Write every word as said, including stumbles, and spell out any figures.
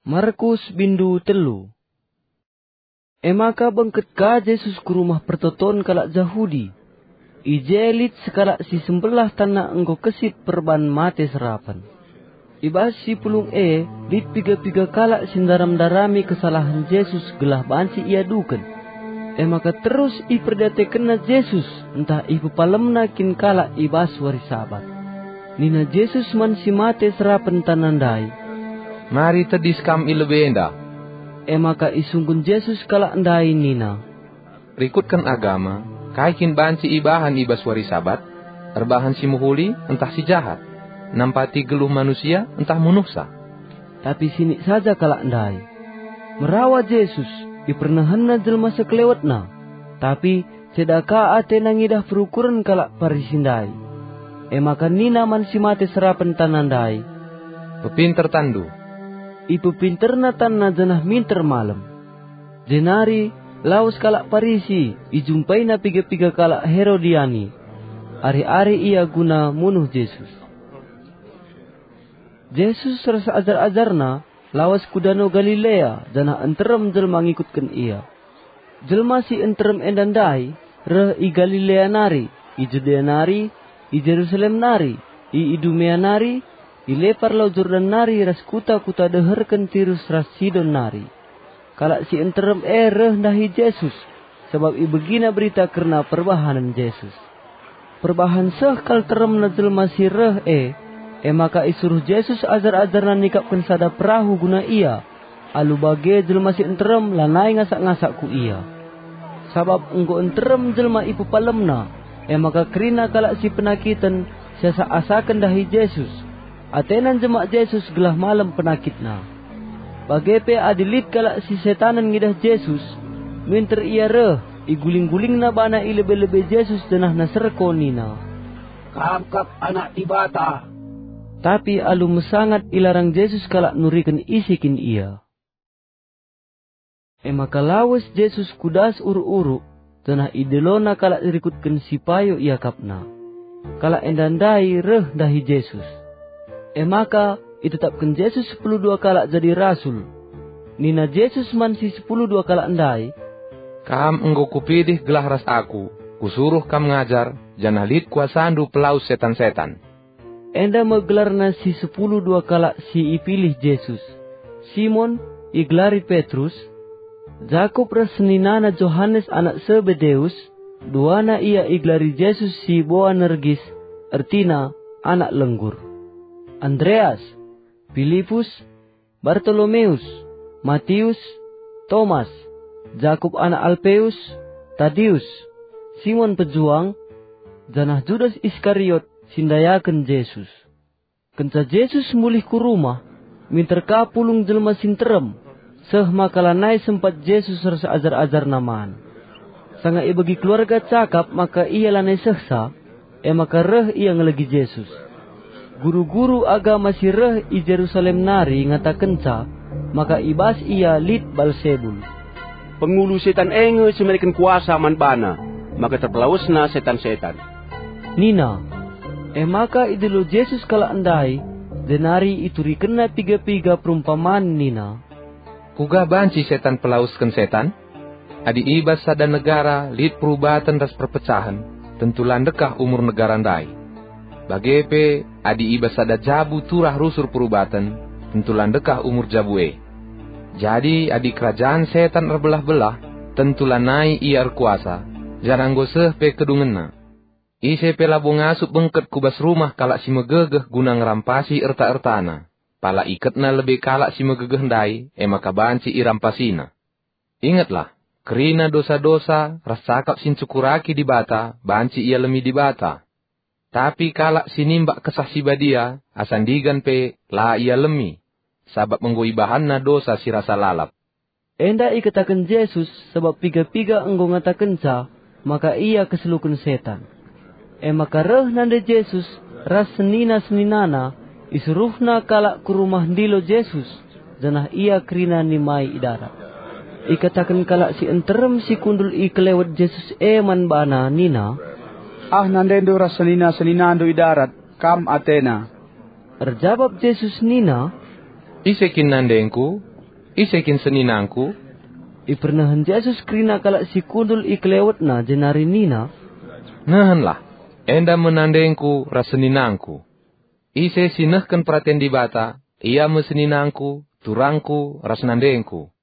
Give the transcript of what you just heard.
Markus bindu telu. E maka bengket ka Jesus ku rumah pertoton kalak Jahudi. I je lit sekalak si sembelah tanna enggo kesit perban mate serapen. I bas si pulung e lit piga-piga kalak si ndaram-ndarami kesalahen Jesus gelah banci iaduken. E maka terus iperdiatekenna Jesus ntah ipepalemna kin kalak i bas wari Sabat. Nina Jesus man si mate serapen tanna ndai, "Mari tedis kam i lebe enda." E maka isungkun Jesus kalak ndai nina, "Rikutken agama, kai kin banci ibahan i bas wari Sabat? Erbahan si mehuli ntah si jahat? Nampati geluh manusia ntah munuhsa?" Tapi sinik saja kalak ndai. Merawa Jesus, ipernehenna jelma sekelewetna. Tapi ceda ka atena ngidah perukuren kalak Parisi ndai. E maka nina man si mate serapen tanna ndai, "Pepinter tanndu." Ipepinterna tanna janah minter malem. Jenari lawes kalak Parisi, ijumpaina piga-piga kalak Herodiani. Ari-ari ia guna munuh Jesus. Jesus ras ajar-ajarna lawes ku Dano Galilea, janah nterem jelma ngikutken ia. Jelma si nterem enda ndai reh i Galilea nari, i Judea nari, i Jerusalem nari, i Idumea nari, i lepar Lau Jordan nari ras kuta-kuta deherken Tirus ras Sidon nari. Kalak si nterem e reh ndahi Jesus, sabap ibegina berita kerna perbahanen Jesus. Perbahan seh kal teremna jelma si reh e, e maka isuruh Jesus ajar-ajarna nikapken sada perahu guna ia. Alu bage jelma si nterem lanai ngasak-ngasak ku ia. Sabap enggo nterem jelma ipepalemna, e maka kerina kalak si penakiten siasak-asaken ndahi Jesus. Atena njemak Jesus gelah malem penakitna. Bage pe adi lit kalak si setanen ngidah Jesus, minter ia reh, iguling-gulingna bana i lebe-lebe Jesus janah naserko nina, "Kam kap Anak Dibata." Tapi alu mesangat ilarang Jesus kalak nuriken ise kin ia. E maka lawes Jesus ku das uruk-uruk, janah idelona kalak rikutken si payo iakapna. Kalak enda ndai reh ndahi Jesus. E maka itetapken Jesus sepuluh dua kalak jadi rasul. Nina Jesus man si sepuluh dua kalak ndai, "Kam enggo Kupilih gelah ras Aku, Kusuruh kam ngajar, janah lit kuasaNdu pelawes setan-setan." Enda me gelarna si sepuluh dua kalak si ipilih Jesus: Simon, igelari Petrus, Jakup ras seninana Johanes anak Sebedeus, duana ia igelari Jesus si Boanerges, ertina anak lenggur, Andreas, Pilipus, Bartolomeus, Matius, Tomas, Jakup anak Alpeus, Tadius, Simon Pejuang, janah Judas Iskariot si ndayaken Jesus. Kenca Jesus mulih ku rumah, minter ka pulung jelma si nterem, seh maka lanai sempat Jesus ras ajar-ajarNa man. Sanga ibegi keluarga cakap maka ia lanai sehsa, e maka reh ia ngelegi Jesus. Guru-guru agama si reh i Jerusalem nari ngatakenca maka i bas ia lit Balsebul. "Pengulu setan e nge si mereken kuasa man bana, maka terpelawesna setan-setan," nina. E maka idilo Jesus kalak ndai, jenari iturikenna piga-piga perumpaman nina, "Kuga banci setan pelawesken setan? Adi i bas sada negara lit perubaten ras perpecahen, tentu la ndekah umur negara ndai. Bage pe, adi i bas sada jabu turah rusur perubaten, tentu la ndekah umur jabu e. Jadi, adi kerajaan setan erbelah-belah, tentu lanai ia erkuasa, janah enggo seh pe kedungenna. Ise pe labo ngasup bengket ku bas rumah kalak si megegeh guna ngerampasi erta-ertana. Pala iketna lebe kalak si megegeh ndai, e maka banci irampasina. Ingetlah, kerina dosa-dosa ras cakap si ncukuraki Dibata banci ialemi Dibata. Tapi kalak si nimbak Kesah Si Badia asa ndigan pe la ialemi, sabap enggo ibahanna dosa si rasa lalap." Enda ikataken Jesus sabap piga-piga enggo ngatakenca maka ia keseluken setan. E maka reh nande Jesus ras senina-seninana, isuruhna kalak ku rumah ndilo Jesus, janah ia kerina nimai i darat. Ikataken kalak si nterem si kundul i kelewet Jesus e man bana nina, "Ah nandendu ras senina-seninandu i darat, kam atena." Erjabap Jesus nina, "Ise kin nandengKu?" "Ise kin seninangku?" Ipernehen Jesus kerina kalak si kundul i kelewetNa jenari nina, "Nehenlah, enda me nandengku ras seninangku. Ise si nehken peraten Dibata, ia me seninangku, turangku, ras nandengku."